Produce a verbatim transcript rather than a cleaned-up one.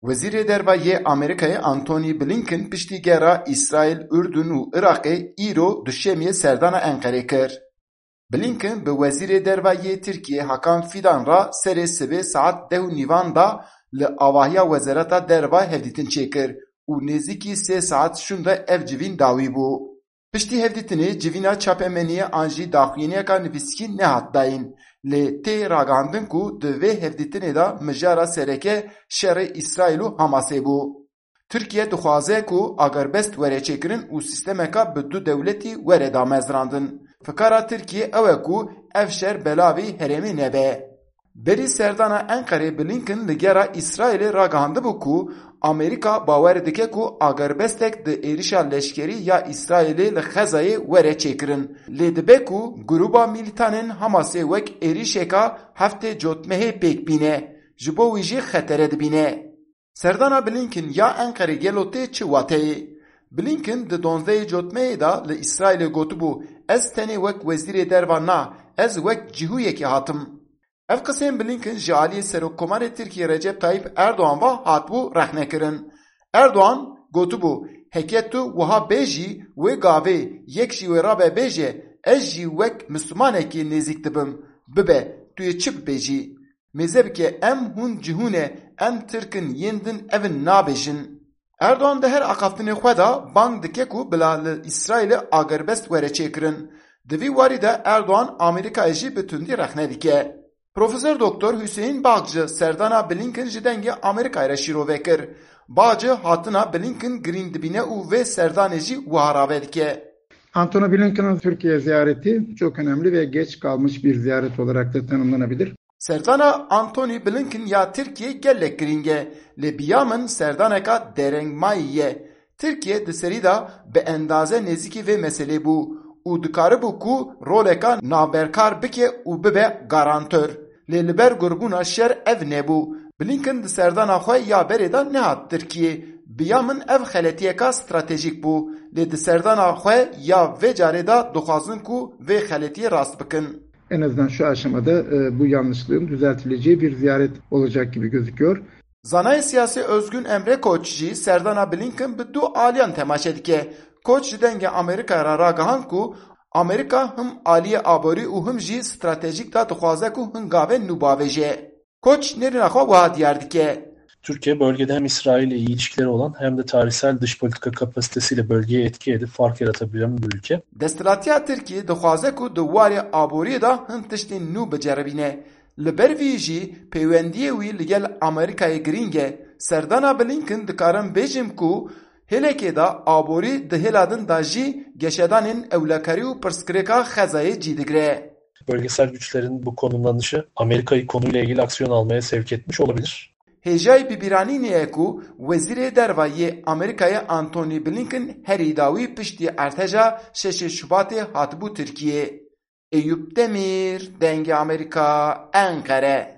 Wezîrê Derva yê Amerîkayê Antony Blinken piştî gera Îsraîl, Urdun û Iraqê îro duşemiyê serdana Enqerê kir. Blinken bi Wezîrê Derva yê Tirkiyê Hakan Fidan re serê sibê saet deh û nîvan de li avahiya Wezareta Derva hevdîtin çêkir û nêzîkî sê saet şûnde ev civîn dawî bû. Piştî hevdîtinê civîna çapemeniyê an jî daxuyaniyeka nivîskî nehat dayîn, lê tê ragihandin ku di vê hevdîtinê de mijara sereke şerê Îsraîl û Hamasê bû. Tirkiye dixwaze ku agerbest were çêkirin û sîstemeka bi du dewletî were damezrandin. Fikara Tirkiye ew e ku ev şer belavî herêmê nebe. Berî serdana Enqerê Blinken li gera Îsraîlê ragihandibû ku Amerîka bawer dike ku agerbestek di êrişa leşkerî ya Îsraîlê li Xezayê were çêkirin. Lê dibe ku grûba mîlîtanên Hamasê wek êrişeka heftê cotmehê pêk bîne, ji bo wî jî xetere dibîne. Serdana Blinken ya Enqerê gelo tê çi wateyê? Blinken di donzdehê cotmehê de li Îsraîlê gotibû, Ez tenê wek wezîrê derva na, ez wek cihûyekê hatim. Ev qisên Blinken ji aliyê Serokkomarê Tirkiyê Recep Tayyip Erdogan ve hatibû rexnekirin. Erdogan gotibû, Heke tu wiha bêjî, wê gavê yek jî wê rabe bêje, Ez jî wek Mislimanekî nêzîk dibim. Bibe, tu yê çi bibêjî? Mêze bike, em hûn cihû ne, em Tirk in, yên din ev in nabêjin. Erdogan di her axaftinê xwe de bang dike ku bila li Îsraîlê agerbest were çêkirin. Di vî warî de Erdogan Amerîkayê jî bi tundî rexne dike. Profesor Doktor Hüseyin Bağcı serdana Blinken ji dengê Amerîkayê re şîrove kir. Bağcı hatina Blinken girîng dibîne û vê serdanê jî wiha rave dike. Antony Blinken'ın Türkiye ziyareti çok önemli ve geç kalmış bir ziyaret olarak da tanımlanabilir. Serdana Antony Blinken ya Tirkiyê gelek girîng e, lê bi ya min serdaneka derengmayî ye. Tirkiye di serî de bi endaze nêzîkî vê meselê bû û dikaribû ku roleka navberkar bike û bibe garantor. Lê li ber gurbûna şer ev nebû. Blinken di serdana xwe ya berê de nehat Tirkiyê. Bi ya min ev xeletiyeka stratejîk bû. Lê di serdana xwe ya vê carê de dixwazin ku vê xeletiyê rast bikin. En azından şu aşamada e, bu yanlışlığın düzeltileceği bir ziyaret olacak gibi gözüküyor. Zanayê siyasî Özgün Emre Koç jî serdana Blinken bi du aliyan temaşe dike. Koç ji Dengê Amerîkayê re ragihand ku Amerîka him aliyê aborî û him jî stratejîk de dixwaze ku hin gavên nû bavêje. Koç nêrîna xwe wiha diyar dike. Türkiye bölgede hem İsrail ile iyi ilişkileri olan hem de tarihsel dış politika kapasitesiyle bölgeye etki edip fark yaratabilen bir ülke. Desthilatiya Tirkiyê dixwaze ku di warê aboriyê de hin tiştên nû biceribîne. Li ber vî jî peywendiyê wî li gel Amerîkayê girîng e. Serdana Blinken dikarim bêjim ku hêlekê de aborî di hêla din de jî geşedanên ewlekarî û pirsgirêka Xezayê cî digire. Bölgesel güçlerin bu konumlanışı Amerika'yı konuyla ilgili aksiyon almaya sevk etmiş olabilir. Hêjayî bibîranînê ye ku Wezîrê Derva yê Amerîkayê Antony Blinken herî dawî piştî erteja şeşê Şubatê hatibû Tirkiyê. Eyûp Demîr, Dengê Amerîka, Enqere.